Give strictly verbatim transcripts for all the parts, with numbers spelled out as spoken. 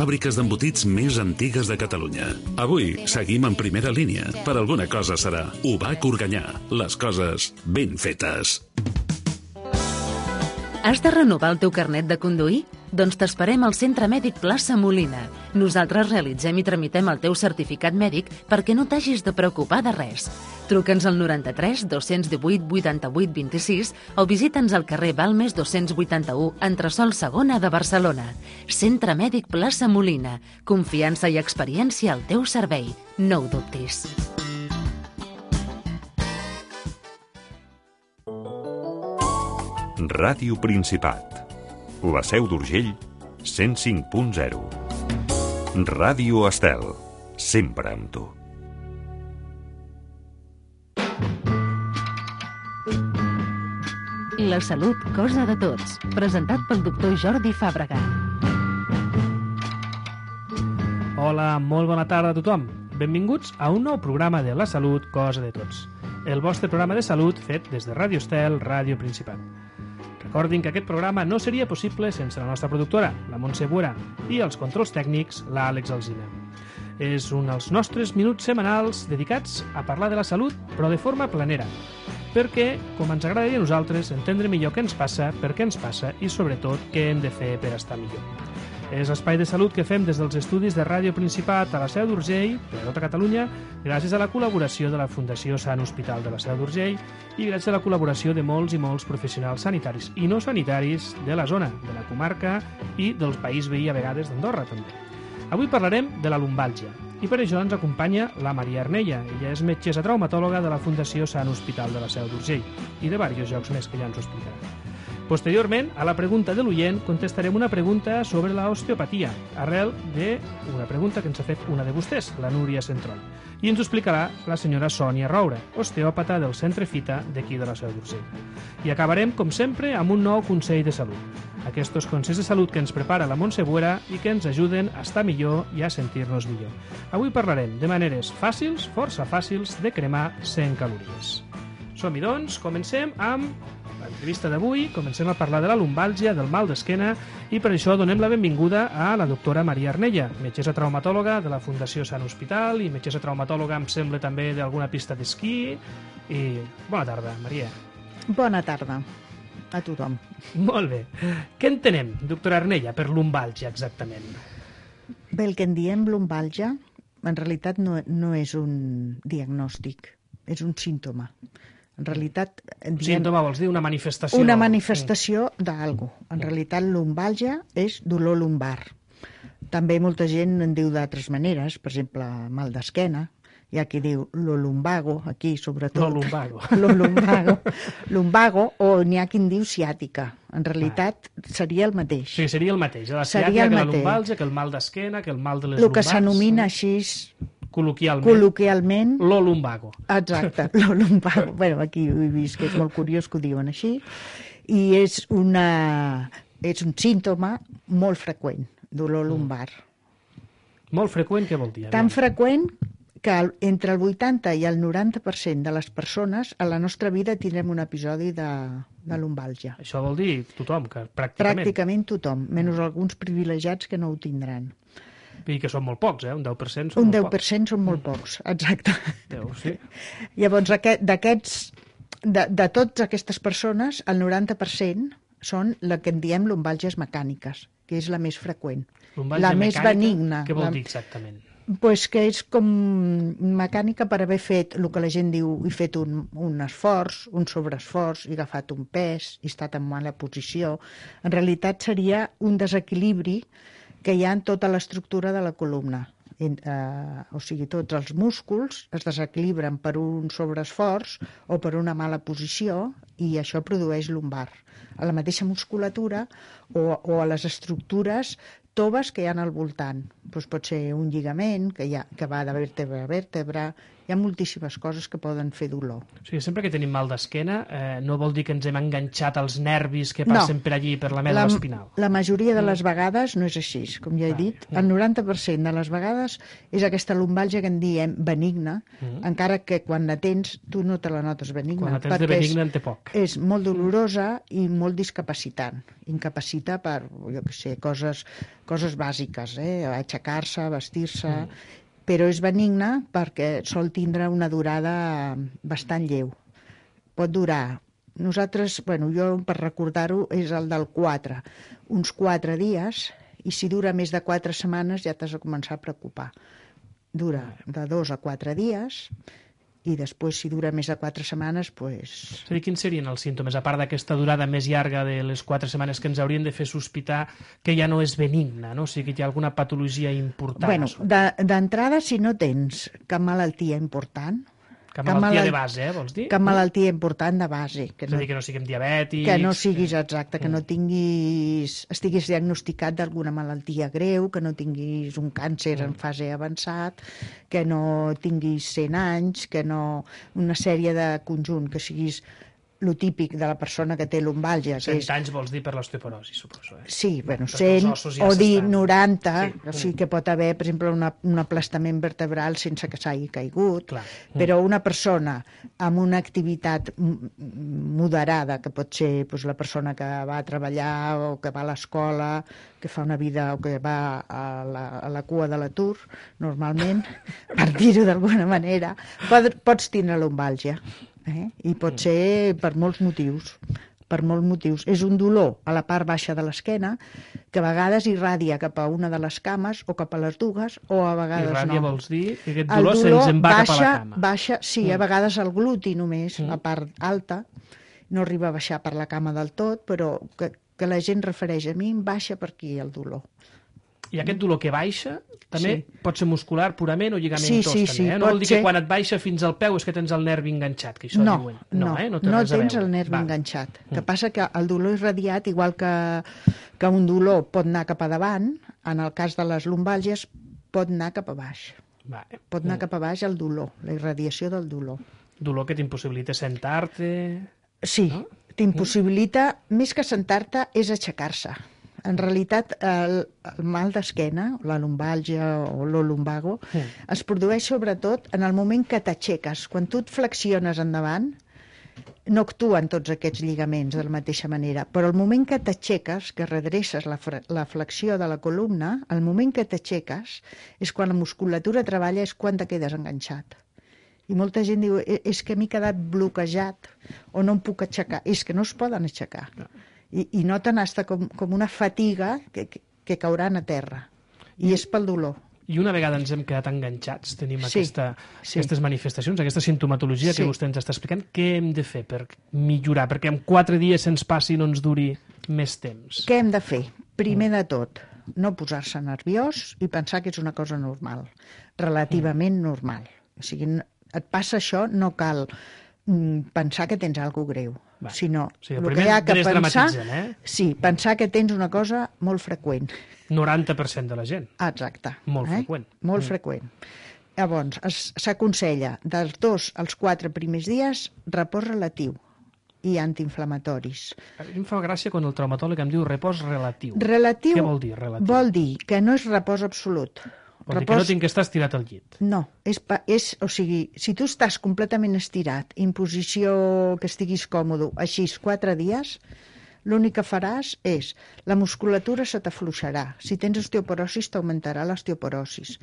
fàbriques d'embotits més antigues de Catalunya. Avui seguim en primera línia. Per alguna cosa serà. U B A C Organyà. Les coses ben fetes. Has de renovar el teu carnet de conduir? Doncs t'esperem al Centre Mèdic Plaça Molina. Nosaltres realitzem i tramitem el teu certificat mèdic perquè no t'hagis de preocupar de res. Truca'ns al noranta-tres dos-cents divuit vuitanta-vuit vint-i-sis o visita'ns al carrer Balmes dos-cents vuitanta-u, entresòl segona de Barcelona. Centre Mèdic Plaça Molina. Confiança i experiència al teu servei. No ho dubtis. Ràdio Principat. La Seu d'Urgell, cent cinc punt zero. Ràdio Estel, sempre amb tu. La salut, cosa de tots. Presentat pel doctor Jordi Fàbrega. Hola, molt bona tarda a tothom. Benvinguts a un nou programa de La salut, cosa de tots. El vostre programa de salut fet des de Ràdio Estel, Ràdio Principat. Recordin que aquest programa no seria possible sense la nostra productora, la Montse Buera, i els controls tècnics, l'Àlex Alsina. És un dels nostres minuts setmanals dedicats a parlar de la salut, però de forma planera, perquè, com ens agradaria a nosaltres, entendre millor què ens passa, per què ens passa i, sobretot, què hem de fer per estar millor. És l'espai de salut que fem des dels estudis de Ràdio Principat a la Seu d'Urgell, per a tota Catalunya, gràcies a la col·laboració de la Fundació Sant Hospital de la Seu d'Urgell i gràcies a la col·laboració de molts i molts professionals sanitaris i no sanitaris de la zona, de la comarca i del país veí a vegades d'Andorra, també. Avui parlarem de la lumbàlgia i per això ens acompanya la Maria Arnella. Ella és metgessa traumatòloga de la Fundació Sant Hospital de la Seu d'Urgell i de diversos llocs més que ja ens ho explicarà. Posteriorment, a la pregunta de l'oient, contestarem una pregunta sobre l'osteopatia, arrel d'una pregunta que ens ha fet una de vostès, la Núria Centroll. I ens ho explicarà la senyora Sònia Roura, osteòpata del Centre Fita d'aquí de la Seu d'Urgell. I acabarem, com sempre, amb un nou consell de salut. Aquests consells de salut que ens prepara la Montse Buera i que ens ajuden a estar millor i a sentir-nos millor. Avui parlarem de maneres fàcils, força fàcils, de cremar cent calories. Som-hi, doncs, comencem amb l'entrevista d'avui. Comencem a parlar de la lumbàlgia, del mal d'esquena, i per això donem la benvinguda a la doctora Maria Arnella, metgessa traumatòloga de la Fundació Sant Hospital i metgessa traumatòloga, em sembla, també d'alguna pista d'esquí. I bona tarda, Maria. Bona tarda a tothom. Molt bé. Què entenem, doctora Arnella, per lumbàlgia exactament? Bé, el que en diem lumbàlgia, en realitat no, no és un diagnòstic, és un símptoma. En realitat... Un símptoma vols dir una manifestació? Una manifestació d'algú. En realitat, lumbàlgia és dolor lumbar. També molta gent en diu d'altres maneres, per exemple, mal d'esquena. Hi ha qui diu lo lumbago, aquí sobretot. Lo lumbago. Lo lumbago. Lumbago, o n'hi ha qui en diu ciàtica. En realitat, seria el mateix. Sí, seria el mateix. La ciàtica, que la lumbàlgia, que el mal d'esquena, que el mal de les lumbars. El que s'anomina així... Col·loquialment. Col·loquialment. Lo lumbago. Exacte, lo lumbago. Bueno, aquí ho he vist que és molt curiós que ho diuen així. I és, una, és un símptoma molt freqüent, dolor lumbar. Molt freqüent, què vol dir? Tan freqüent que entre el vuitanta i el noranta per cent de les persones a la nostra vida tindrem un episodi de, de lumbàlgia. Això vol dir tothom, que pràcticament... Pràcticament tothom, menys alguns privilegiats que no ho tindran. I que són molt pocs, eh? Un deu per cent són un molt pocs. Un deu per cent són molt pocs, exacte. Deu, sí. Llavors, d'aquests, de, de totes aquestes persones, el noranta per cent són la que en diem lumbàlgies mecàniques, que és la més freqüent. Lumbàlgia la més mecànica, benigna. Què vol la... dir exactament? Pues que és com mecànica per haver fet el que la gent diu, he fet un, un esforç, un sobreesforç, he agafat un pes, he estat en mala posició. En realitat seria un desequilibri que hi ha en tota l'estructura de la columna. En, eh, o sigui, tots els músculs es desequilibren per un sobreesforç o per una mala posició i això produeix lumbar. A la mateixa musculatura o, o a les estructures toves que hi ha al voltant. Doncs pot ser un lligament que, hi ha, que va de vèrtebra a vèrtebra, Hi ha moltíssimes coses que poden fer dolor. O sigui, sempre que tenim mal d'esquena, eh, no vol dir que ens hem enganxat als nervis que passen no. per allí, per la medul·la espinal. La majoria de les vegades no és així, com ja he dit. El noranta per cent de les vegades és aquesta lumbàlgia que en diem benigna, mm. encara que quan la tens tu no te la notes benigna. Quan la tens de benigna en té poc. És molt dolorosa i molt discapacitant. Incapacita per, jo què sé, coses, coses bàsiques, eh? Aixecar-se, vestir-se... Mm. Però és benigna perquè sol tindre una durada bastant lleu. Pot durar, nosaltres, bueno, jo per recordar-ho és el del quatre, uns quatre dies, i si dura més de quatre setmanes ja t'has de començar a preocupar. Dura de dos a quatre dies, i després, si dura més de quatre setmanes, doncs... És a dir, quins serien els símptomes, a part d'aquesta durada més llarga de les quatre setmanes que ens haurien de fer sospitar que ja no és benigna, no? O sigui, que hi ha alguna patologia important? Bueno, d'entrada, si no tens cap malaltia important... Cap malaltia de base, eh, vols dir? Cap malaltia important de base. Que no, és a dir, que no siguem diabètics... Que no siguis, exacte, que no tinguis... estiguis diagnosticat d'alguna malaltia greu, que no tinguis un càncer en fase avançat, que no tinguis cent anys, que no... una sèrie de conjunt, que siguis lo típic de la persona que té lumbàlgia. cent anys vols dir per l'osteoporosi, suposo. Eh? Sí, bueno, cent ja o dir noranta, sí. O sigui que pot haver, per exemple, una, un aplastament vertebral sense que s'hagi caigut, clar. Però una persona amb una activitat moderada, que pot ser doncs, la persona que va a treballar o que va a l'escola, que fa una vida o que va a la, a la cua de l'atur, normalment, per dir-ho d'alguna manera, pot, pots tindre lumbàlgia. Eh? I pot ser per molts motius, per molts motius. És un dolor a la part baixa de l'esquena que a vegades irradia cap a una de les cames o cap a les dues, o a vegades irradia, no. Irradia vols dir que aquest dolor, dolor se'ns en va baixa, cap a la cama. Baixa, sí, mm. a vegades el gluti només, mm. la part alta, no arriba a baixar per la cama del tot, però que, que la gent refereix a mi, em baixa per aquí el dolor. I aquest dolor que baixa també sí. pot ser muscular purament o lligamentós, sí, sí, també, sí, eh? No vol dir ser... que quan et baixa fins al peu és que tens el nervi enganxat, que això no, diuen. No, no, eh? no, no tens el nervi Va. enganxat. El que mm. passa que el dolor irradiat, igual que, que un dolor pot anar cap a davant, en el cas de les lumbàlgies pot anar cap a baix. Va. Pot anar mm. cap a baix el dolor, la irradiació del dolor. Dolor que t'impossibilita sentar-te... Sí, no? T'impossibilita, mm. més que sentar-te, és aixecar-se. En realitat, el, el mal d'esquena, la lumbàlgia o lo lumbago, mm. es produeix sobretot en el moment que t'aixeques. Quan tu et flexiones endavant, no actuen tots aquests lligaments de la mateixa manera, però el moment que t'aixeques, que redreces la, la flexió de la columna, el moment que t'aixeques és quan la musculatura treballa, és quan te quedes enganxat. I molta gent diu, és que m'he quedat bloquejat o no em puc aixecar. És que no es poden aixecar. No. I, i noten hasta com, com una fatiga que, que, que cauran a terra. I, I és pel dolor. I una vegada ens hem quedat enganxats, tenim sí, aquesta, sí. aquestes manifestacions, aquesta sintomatologia sí. que vostè ens està explicant, què hem de fer per millorar? Perquè en quatre dies se'ns passi i no ens duri més temps. Què hem de fer? Primer de tot, no posar-se nerviós i pensar que és una cosa normal, relativament mm. normal. O sigui, et passa això, no cal pensar que tens alguna greu, Va. sinó sí, el que hi ha que pensar, eh? sí, pensar que tens una cosa molt freqüent. noranta per cent de la gent. Exacte. Molt eh? freqüent. Molt mm. freqüent. Llavors, s'aconsella dels dos als quatre primers dies repòs relatiu i antiinflamatoris. A mi em fa gràcia quan el traumatòleg em diu repòs relatiu. Relatiu Què vol dir relatiu? Vol dir que no és repòs absolut. Vol repòs... dir que no tinc que estar estirat al llit. No, és, és, o sigui, si tu estàs completament estirat, en posició que estiguis còmode, així quatre dies, l'únic que faràs és, la musculatura se t'afluixarà. Si tens osteoporosis, t'augmentarà l'osteoporosis.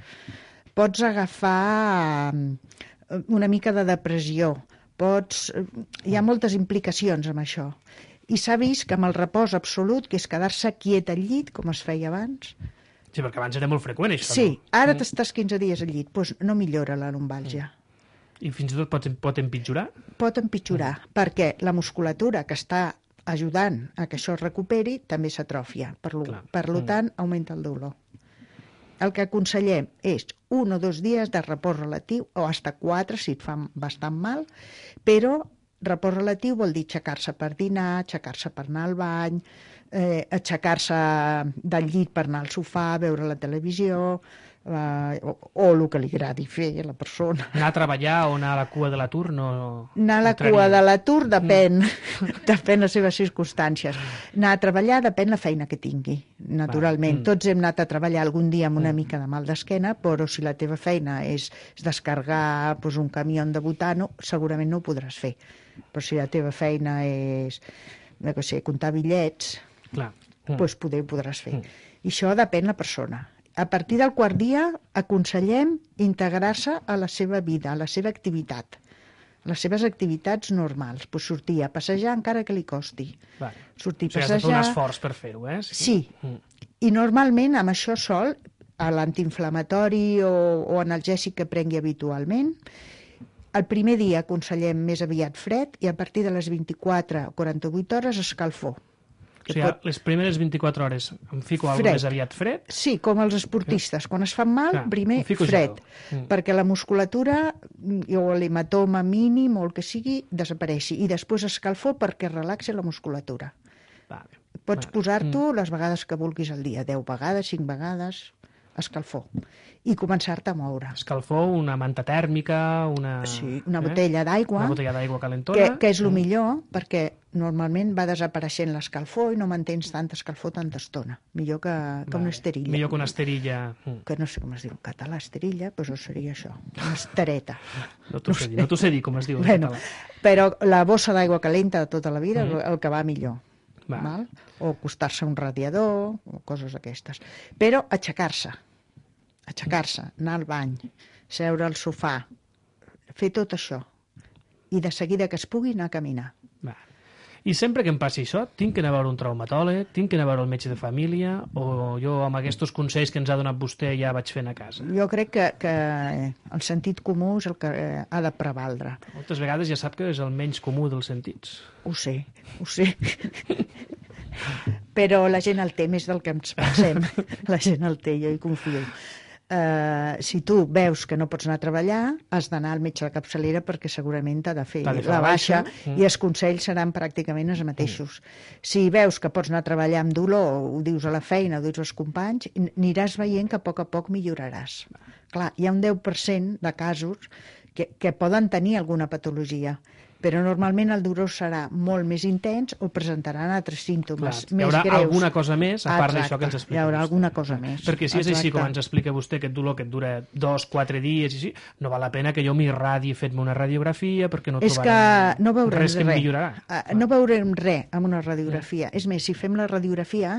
Pots agafar una mica de depressió, pots... hi ha moltes implicacions amb això. I s'ha vist que amb el repòs absolut, que és quedar-se quiet al llit, com es feia abans... Sí, perquè abans era molt freqüent, això. Sí, no? ara t'estàs quinze dies al llit, doncs no millora la lumbàlgia. I fins i tot pot, pot empitjorar? Pot empitjorar, mm. perquè la musculatura que està ajudant a que això es recuperi també s'atròfia. Per, lo, per lo tant, mm. augmenta el dolor. El que aconsellem és un o dos dies de repòs relatiu, o hasta quatre, si et fa bastant mal, però repòs relatiu vol dir aixecar-se per dinar, aixecar-se per anar al bany, eh, aixecar-se del llit per anar al sofà, veure la televisió, eh, o, o el que li agradi fer a la persona. Anar a treballar o anar a la cua de l'atur no... Anar a la cua de l'atur depèn, mm. depèn les seves circumstàncies. Anar a treballar depèn la feina que tingui, naturalment. Mm. Tots hem anat a treballar algun dia amb una mm. mica de mal d'esquena, però si la teva feina és, és descarregar pues, un camió de butano, segurament no ho podràs fer. Però si la teva feina és, no sé, comptar bitllets, clar. Mm. Doncs poder ho podràs fer. Mm. I això depèn la persona. A partir del quart dia aconsellem integrar-se a la seva vida, a la seva activitat, a les seves activitats normals. Pues sortir a passejar encara que li costi. Vale. Sortir a o sigui, passejar... has de fer un esforç per fer-ho, eh? Sí. Sí. Mm. I normalment amb això sol, a l'antiinflamatori o, o analgèsic que prengui habitualment, el primer dia aconsellem més aviat fred i a partir de les vint-i-quatre o quaranta-vuit hores escalfor. O sigui, pot... les primeres vint-i-quatre hores em fico alguna cosa més aviat fred? Sí, com els esportistes. Quan es fan mal, Clar, primer fred. Mm. Perquè la musculatura o l'hematoma mínim o el que sigui desapareixi. I després escalfor perquè relaxi la musculatura. Vale. Pots vale. posar-t'ho mm. les vegades que vulguis al dia. deu vegades, cinc vegades, escalfor. I començar-te a moure. Escalfor, una manta tèrmica, una... Sí, una eh? botella d'aigua. Una botella d'aigua calentona. Que, que és el millor, perquè normalment va desapareixent l'escalfor i no mantens tanta escalfor tanta estona. Millor que, que vale. una esterilla. Millor que una esterilla. Que no sé com es diu en català, esterilla, doncs seria això, una estereta. No t'ho sé dir, no t'ho sé dir com es diu en bueno, català. Però la bossa d'aigua calenta de tota la vida, mm. el que va millor. Va. Val? O acostar-se a un radiador, o coses d'aquestes. Però aixecar-se. Aixecar-se, anar al bany, seure al sofà, fer tot això. I de seguida que es pugui anar a caminar. Va. I sempre que em passi això, tinc que anar a veure un traumatòleg, tinc que anar a veure el metge de família, o jo amb aquests consells que ens ha donat vostè ja vaig fent a casa? Jo crec que, que el sentit comú és el que ha de prevaldre. Moltes vegades ja sap que és el menys comú dels sentits. Ho sé, ho sé. Però la gent el té més del que ens pensem. La gent el té, jo hi confio. Uh, si tu veus que no pots anar a treballar, has d'anar al metge de capçalera perquè segurament t'ha de fer de la baixa, baixa mm. i els consells seran pràcticament els mateixos. Mm. Si veus que pots anar a treballar amb dolor, ho dius a la feina, ho dius als companys, aniràs veient que a poc a poc milloraràs. Clar, hi ha un deu per cent de casos que, que poden tenir alguna patologia, però normalment el dolor serà molt més intens o presentaran altres símptomes Clar, més hi haurà greus. alguna cosa més, a part d'això que ens explica hi haurà vostè. alguna cosa més. Perquè si és Exacte. així com ens explica vostè, aquest dolor que et dura dos, quatre dies, i així, no val la pena que jo m'irradi i fet-me una radiografia perquè no és trobarem que no veurem res que em res. millorarà. Uh, no veurem res amb una radiografia. Mm. És més, si fem la radiografia,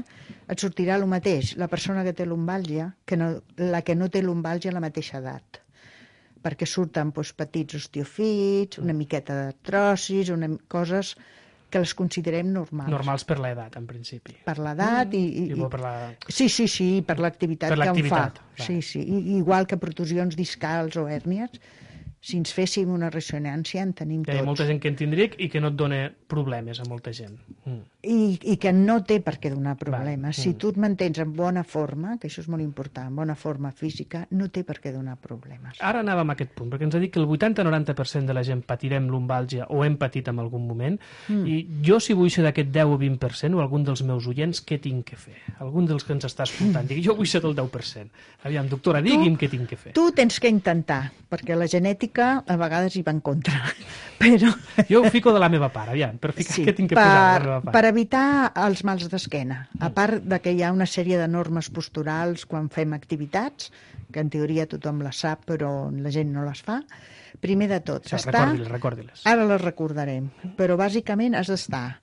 et sortirà el mateix la persona que té lumbàlgia que no, la que no té lumbàlgia a la mateixa edat. Perquè surten doncs, petits osteofits, una miqueta d'artrosis, una... coses que les considerem normals. Normals per l'edat, en principi. Per l'edat mm. i... i, I per la... Sí, sí, sí, per l'activitat per que en fa. Va. Sí, sí. I, igual que protusions discals o hèrnies, si ens féssim una ressonància en tenim tots. Hi ha molta gent que en tindria i que no et dona problemes a molta gent. Mm. I, I que no té per què donar problemes. Va. Si Mm. tu et mantens en bona forma, que això és molt important, en bona forma física, no té per què donar problemes. Ara anàvem a aquest punt, perquè ens ha dit que el vuitanta a noranta per cent de la gent patirem lumbàlgia o hem patit en algun moment, mm. i jo si vull ser d'aquest deu o vint per cent o algun dels meus oients, què tinc que fer? Algun dels que ens està escoltant, digui, jo vull ser del deu per cent. Aviam, doctora, digui'm què tinc que fer. Tu tens que intentar, perquè la genètica a vegades hi va en contra. Però... Jo ho fico de la meva part, aviam, per ficar sí, què tinc que per, posar de la meva part. Per evitar els mals d'esquena, a part de que hi ha una sèrie de normes posturals quan fem activitats, que en teoria tothom les sap però la gent no les fa, primer de tot, Sí, està... recordi-les, recordi-les. Ara les recordarem, però bàsicament has d'estar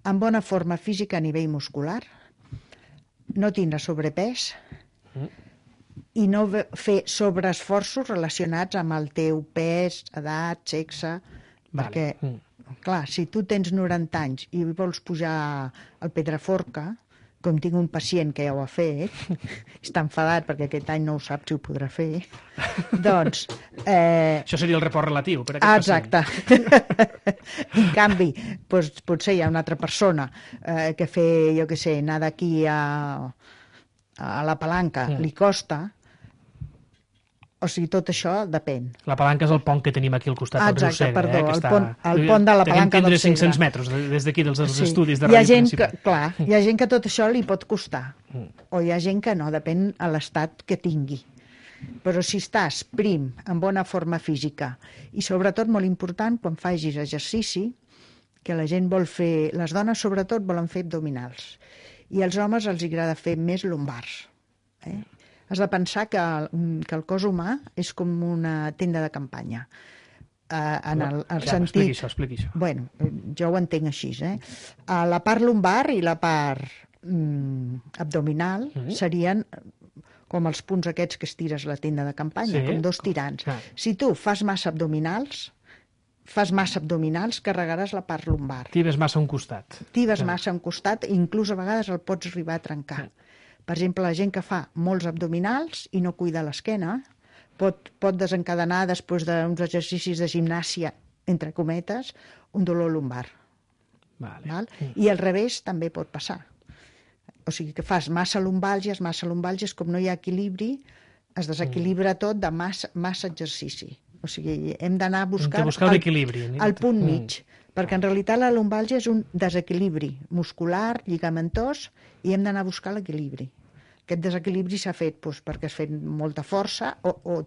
en bona forma física a nivell muscular, no tindre sobrepès, Mm. i no fer sobreesforços relacionats amb el teu pes, edat, sexe, Vale. perquè, Mm. clar, si tu tens noranta anys i vols pujar al Pedraforca, com tinc un pacient que ja ho ha fet, està enfadat perquè aquest any no ho sap si ho podrà fer, doncs... Eh, Això seria el report relatiu per aquest exacte. En canvi, doncs, potser hi ha una altra persona eh, que fer, jo què sé, anar d'aquí a, a la palanca Mm. li costa, O sigui, tot això depèn. La palanca és el pont que tenim aquí al costat del riu Exacte, Segre. perdó, eh, que el està... pont- el pont de la Tenim palanca tindre del Segre. cinc-cents metres de- des d'aquí, dels, dels Sí. estudis de Hi ha ràdio gent que, principal. clar, hi ha gent que tot això li pot costar, Mm. o hi ha gent que no, depèn a l'estat que tingui. Però si estàs prim, en bona forma física, i sobretot molt important, quan facis exercici, que la gent vol fer, les dones sobretot volen fer abdominals, i als homes els agrada fer més lumbars. Eh? Has de pensar que, que el cos humà és com una tenda de campanya. Uh, en el, el ja, sentit... expliqui això, expliqui això. Bueno, jo ho entenc així, eh? A la part lumbar i la part mm, abdominal Mhm. serien com els punts aquests que estires a la tenda de campanya, Sí, com dos com- tirants. clar. Si tu fas massa abdominals, fas massa abdominals, carregaràs la part lumbar. Tibes massa a un costat. Tibes Clar. massa a un costat i inclús a vegades el pots arribar a trencar. Per exemple, la gent que fa molts abdominals i no cuida l'esquena pot, pot desencadenar, després d'uns exercicis de gimnàsia, entre cometes, un dolor lumbar. Vale. Val? I al revés també pot passar. O sigui que fas massa lumbàlgies, massa lumbàlgies, com no hi ha equilibri, es desequilibra tot de massa, massa exercici. O sigui, hem d'anar a buscar, Hem de buscar el, l'equilibri. el punt Mm. mig, perquè en realitat la lumbàlgia és un desequilibri muscular, lligamentós, i hem d'anar a buscar l'equilibri. Aquest desequilibri s'ha fet doncs, perquè has fet molta força o, o,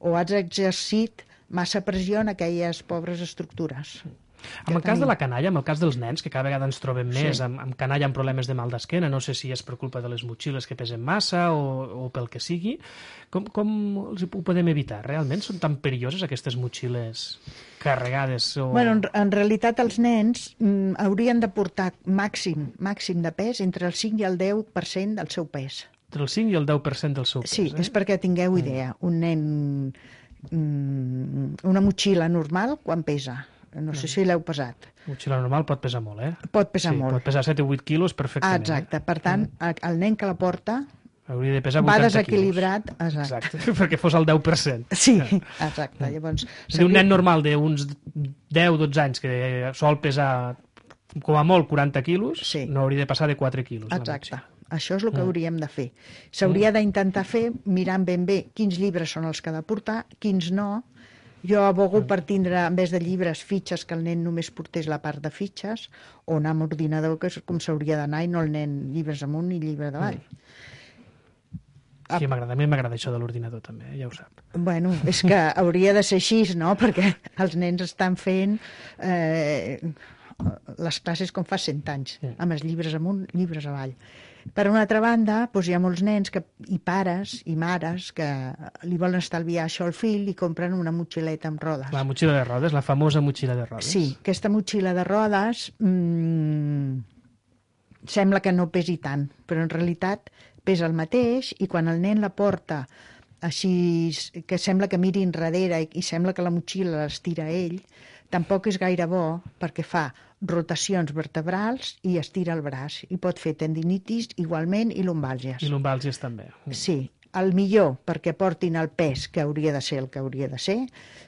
o has exercit massa pressió en aquelles pobres estructures. En el cas tenim. de la canalla, en el cas dels nens, que cada vegada ens trobem més Sí. amb, amb canalla amb problemes de mal d'esquena, no sé si és per culpa de les motxilles que pesen massa o, o pel que sigui, com, com els ho podem evitar? Realment són tan perilloses aquestes motxilles carregades? O... Bueno, en, en realitat els nens mm, haurien de portar màxim, màxim de pes entre el cinc i el deu per cent del seu pes. Entre el cinc i el deu per cent del seu pes. Sí, eh? és perquè tingueu idea. Un nen, mm, una motxilla normal, quan pesa? No sé si l'heu pesat. Motxilla normal pot pesar molt, eh? Pot pesar sí, molt. pot pesar set o vuit quilos Ah, perfectament. exacte. Per tant, el nen que la porta Eh? Hauria de pesar va vuitanta desequilibrat. quilos. Exacte. Exacte, perquè fos el deu per cent. Sí, exacte. Llavors, És a dir, un nen normal d'uns deu o dotze anys que sol pesar com a molt quaranta quilos, Sí. no hauria de passar de quatre quilos. la Exacte. motxilla. Això és el que Mm. hauríem de fer. S'hauria d'intentar fer mirant ben bé quins llibres són els que ha de portar, quins no. Jo abogo per tindre, en vez de llibres, fitxes, que el nen només portés la part de fitxes, o anar amb ordinador, que és com s'hauria d'anar, i no el nen llibres amunt i llibre davall. Sí, m'agrada, a mi m'agrada això de l'ordinador també, eh, ja ho sap. Bueno, és que hauria de ser així, no? Perquè els nens estan fent eh, les classes com fa cent anys, Sí. amb els llibres amunt, llibres avall. Per una altra banda, doncs hi ha molts nens que, i pares i mares que li volen estalviar això al fill i compren una motxileta amb rodes. La motxilla de rodes, la famosa motxilla de rodes. Sí, aquesta motxilla de rodes mmm, sembla que no pesi tant, però en realitat pesa el mateix, i quan el nen la porta així, que sembla que miri enrere i, i sembla que la motxilla l'estira ell, tampoc és gaire bo, perquè fa rotacions vertebrals i estira el braç, i pot fer tendinitis igualment i lumbàlgies. I lumbàlgies també. Sí, el millor perquè portin el pes que hauria de ser el que hauria de ser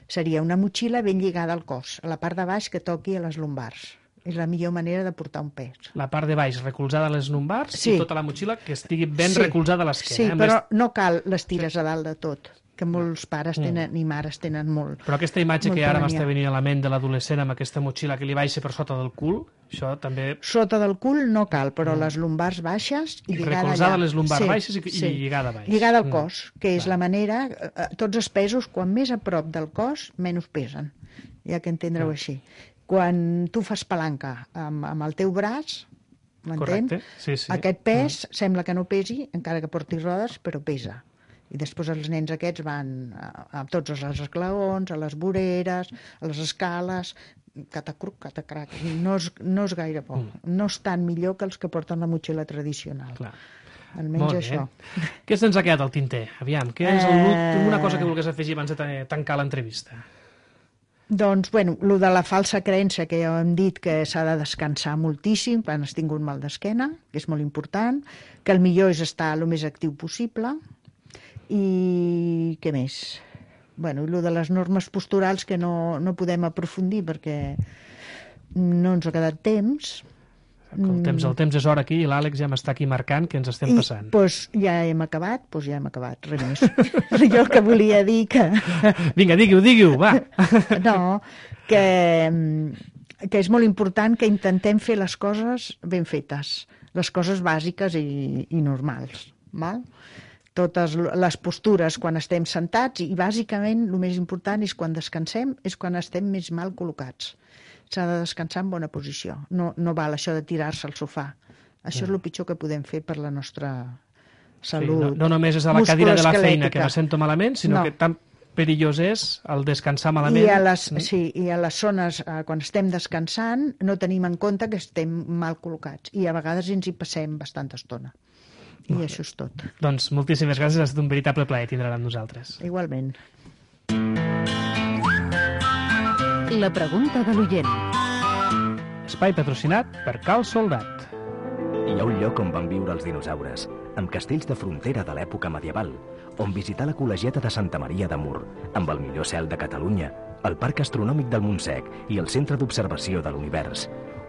seria una motxilla ben lligada al cos, a la part de baix que toqui a les lumbars. És la millor manera de portar un pes. La part de baix recolzada a les lumbars Sí. i tota la motxilla que estigui ben Sí. recolzada a l'esquena. Sí, eh? En però vez- no cal les tires a dalt de tot, que molts pares tenen, i mares tenen molt. Però aquesta imatge que Molta ara mania. m'està venint a la ment de l'adolescent amb aquesta motxilla que li baixa per sota del cul, això també... Sota del cul no cal, però les lumbars baixes i I lligada recolzada allà. a les lumbars baixes i- i lligada a baix. Lligada al Mm. cos, que és la manera... eh, eh, Tots els pesos, quan més a prop del cos, menys pesen. Ja que entendreu així. Quan tu fas palanca amb, amb el teu braç, m'entén? Correcte, sí, sí. Aquest pes sembla que no pesi, encara que portis rodes, però pesa. I després els nens aquests van a, a tots els esglaons, a les voreres, a les escales, catacruc, catacrac. No és, no és gaire bo. No és tan millor que els que porten la motxilla tradicional. Clar. Almenys Molt bé. això. Què se'ns ha quedat al tinter? Aviam, què és Eh, l'últim- una cosa que vulguis afegir abans de ta- tancar l'entrevista? Doncs, bueno, el de la falsa creença que ja hem dit que s'ha de descansar moltíssim quan has tingut mal d'esquena, que és molt important, que el millor és estar el més actiu possible, i què més? Bueno, i el de les normes posturals que no, no podem aprofundir perquè no ens ha quedat temps. El temps, el temps és hora aquí i l'Àlex ja m'està aquí marcant que ens estem passant. I doncs ja hem acabat, doncs ja hem acabat, res més. Jo el que volia dir que... Vinga, digui-ho, digui-ho, va! No, que, que és molt important que intentem fer les coses ben fetes, les coses bàsiques i, i normals, val? Totes les postures quan estem sentats i bàsicament el més important és quan descansem, és quan estem més mal col·locats. S'ha de descansar en bona posició. No, no val això de tirar-se al sofà. Això és el pitjor que podem fer per la nostra salut. Sí, no, no només és a la cadira de la feina que me sento malament, sinó no. que tan perillós és el descansar malament. I a les, mm. Sí, i a les zones, eh, quan estem descansant, no tenim en compte que estem mal col·locats. I a vegades ens hi passem bastanta estona. I Molt això és tot. Doncs moltíssimes gràcies, ha estat un veritable plaer tindre-la amb nosaltres. Igualment. La pregunta de l'oient. Espai patrocinat per Cal Soldat. Hi ha un lloc on van viure els dinosaures, amb castells de frontera de l'època medieval, on visitar la col·legiata de Santa Maria de Mur, amb el millor cel de Catalunya, el Parc Astronòmic del Montsec i el Centre d'Observació de l'Univers.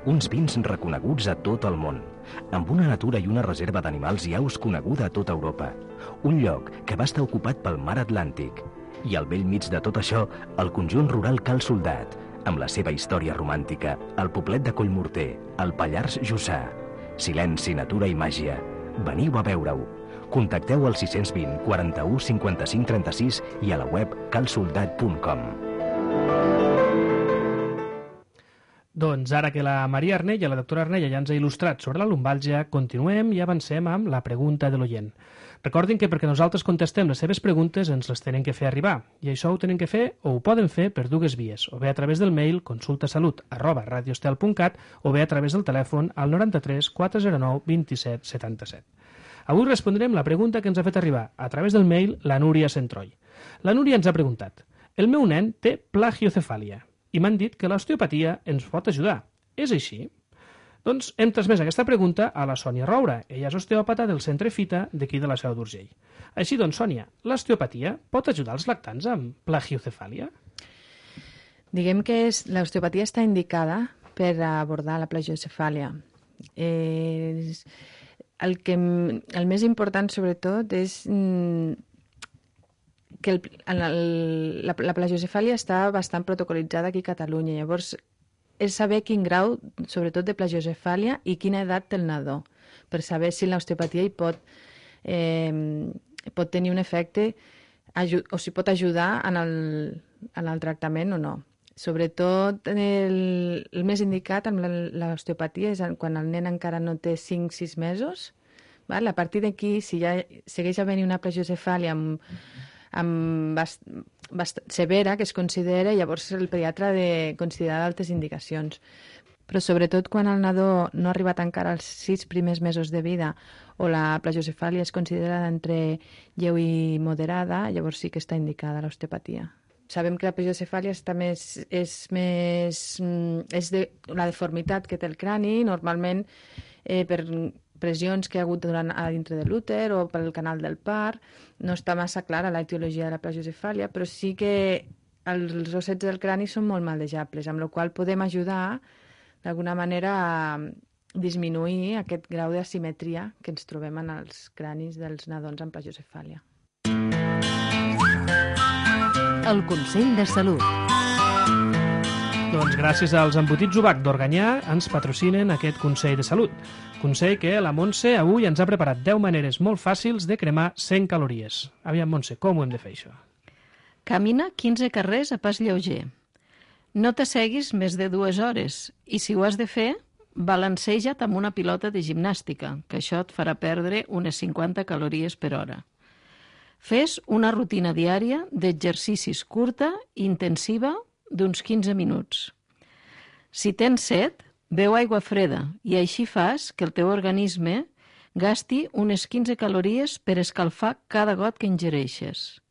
Uns vins reconeguts a tot el món, amb una natura i una reserva d'animals i aus coneguda a tota Europa. Un lloc que va estar ocupat pel mar Atlàntic. I al vell mig de tot això, el conjunt rural Cal Soldat, amb la seva història romàntica, el poblet de Collmorter, el Pallars Jussà. Silenci, natura i màgia. Veniu a veure-ho. Contacteu al sis cents vint, quaranta-u, cinquanta-cinc, trenta-sis i a la web cal soldat punt com. Doncs ara que la Maria Arnella, la doctora Arnella, ja ens ha il·lustrat sobre la lumbàlgia, continuem i avancem amb la pregunta de l'oient. Recordin que perquè nosaltres contestem les seves preguntes ens les tenen que fer arribar, i això ho tenen que fer o ho poden fer per dues vies, o bé a través del mail consultasalut arroba radiostel punt cat o bé a través del telèfon al noranta-tres quatre zero nou vint set setanta-set. Avui respondrem la pregunta que ens ha fet arribar a través del mail la Núria Centroll. La Núria ens ha preguntat: el meu nen té plagiocefàlia i m'han dit que l'osteopatia ens pot ajudar. És així? Doncs hem transmès aquesta pregunta a la Sònia Roura. Ella és osteòpata del Centre Fita d'aquí de la Seu d'Urgell. Així doncs, Sònia, l'osteopatia pot ajudar els lactants amb plagiocefàlia? Diguem que és, l'osteopatia està indicada per abordar la plagiocefàlia. Eh, el, que, el més important, sobretot, és mm, que el, el, la, la plagiocefàlia està bastant protocolitzada aquí a Catalunya. Llavors, és saber quin grau, sobretot de plagiocefàlia, i quina edat té el nadó, per saber si l'osteopatia hi pot, eh, pot tenir un efecte o si pot ajudar en el, en el tractament o no. Sobretot, el, el més indicat amb l'osteopatia és quan el nen encara no té cinc sis mesos. Val? A partir d'aquí, si ja segueix havent una plagiocefàlia amb, amb bast, bast, severa, que es considera, llavors el pediatre ha de considerar altres indicacions. Però sobretot quan el nadó no ha arribat encara als sis primers mesos de vida o la plagiocefàlia és considerada entre lleu i moderada, llavors sí que està indicada l'osteopatia. Sabem que la plagiocefàlia està més, és més és de, la deformitat que té el crani, normalment eh, per pressions que hi ha hagut durant, a dintre de l'úter o pel canal del part. No està massa clara la etiologia de la plagiocefàlia, però sí que els ossets del crani són molt maldejables, amb la qual podem ajudar d'alguna manera a disminuir aquest grau d'asimetria que ens trobem en els cranis dels nadons amb plagiocefàlia. El Consell de Salut. Doncs gràcies als embotits Ubac d'Organyà ens patrocinen aquest Consell de Salut. Consell que la Montse avui ens ha preparat deu maneres molt fàcils de cremar cent calories. Aviam, Montse, com ho hem de fer, això? Camina quinze carrers a pas lleuger. No t'asseguis més de dues hores i, si ho has de fer, balanceja't amb una pilota de gimnàstica, que això et farà perdre unes cinquanta calories per hora. Fes una rutina diària d'exercicis curta i intensiva d'uns quinze minuts. Si tens set, beu aigua freda i així fas que el teu organisme gasti unes quinze calories per escalfar cada got que ingereixes.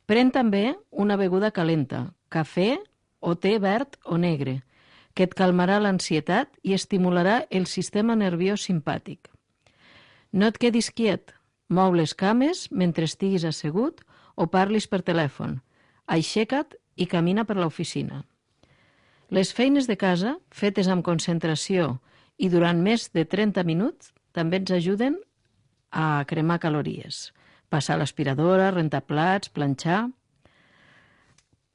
Pren també una beguda calenta, cafè o te verd o negre, que et calmarà l'ansietat i estimularà el sistema nerviós simpàtic. No et quedis quiet, mou les cames mentre estiguis assegut o parlis per telèfon. Aixeca't i camina per l'oficina. Les feines de casa, fetes amb concentració i durant més de trenta minuts també ens ajuden a cremar calories. Passar l'aspiradora, rentar plats, planxar...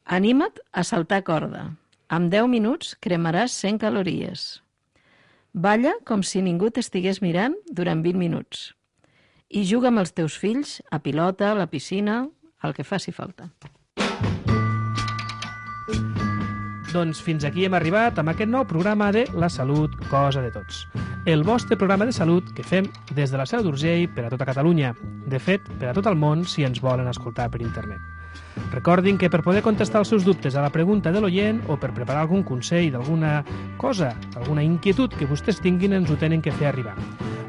Anima't a saltar corda. En deu minuts cremaràs cent calories. Balla com si ningú t'estigués mirant durant vint minuts. I juga amb els teus fills a pilota, a la piscina, el que faci falta. Doncs fins aquí hem arribat amb aquest nou programa de La Salut, cosa de tots. El vostre programa de salut que fem des de la Seu d'Urgell per a tota Catalunya. De fet, per a tot el món si ens volen escoltar per internet. Recordin que per poder contestar els seus dubtes a la pregunta de l'oient o per preparar algun consell d'alguna cosa, alguna inquietud que vostès tinguin, ens ho tenen que fer arribar.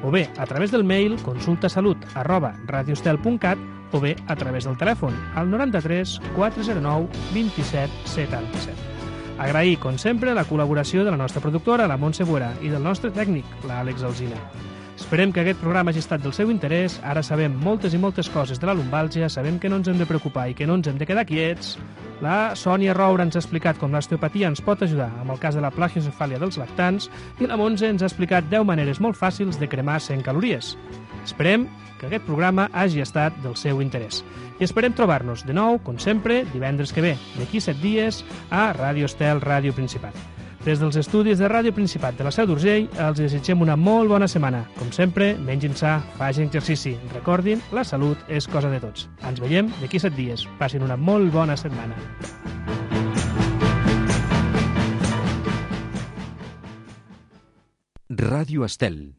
O bé a través del mail consultasalut arroba radiostel punt cat o bé a través del telèfon al noranta-tres quatre zero nou vint set setanta-set. Agrair, com sempre, la col·laboració de la nostra productora, la Montse Buera, i del nostre tècnic, l'Àlex Alsina. Esperem que aquest programa hagi estat del seu interès. Ara sabem moltes i moltes coses de la lumbàlgia, sabem que no ens hem de preocupar i que no ens hem de quedar quiets. La Sònia Roura ens ha explicat com l'osteopatia ens pot ajudar amb el cas de la plagiocefàlia dels lactants i la Montse ens ha explicat deu maneres molt fàcils de cremar cent calories. Esperem que aquest programa hagi estat del seu interès. I esperem trobar-nos de nou, com sempre, divendres que ve, d'aquí set dies, a Ràdio Estel, Ràdio Principat. Des dels estudis de Ràdio Principat de la Seu d'Urgell, els desitgem una molt bona setmana. Com sempre, mengin sa, facin exercici. Recordin, la salut és cosa de tots. Ens veiem d'aquí set dies. Passin una molt bona setmana. Ràdio Estel.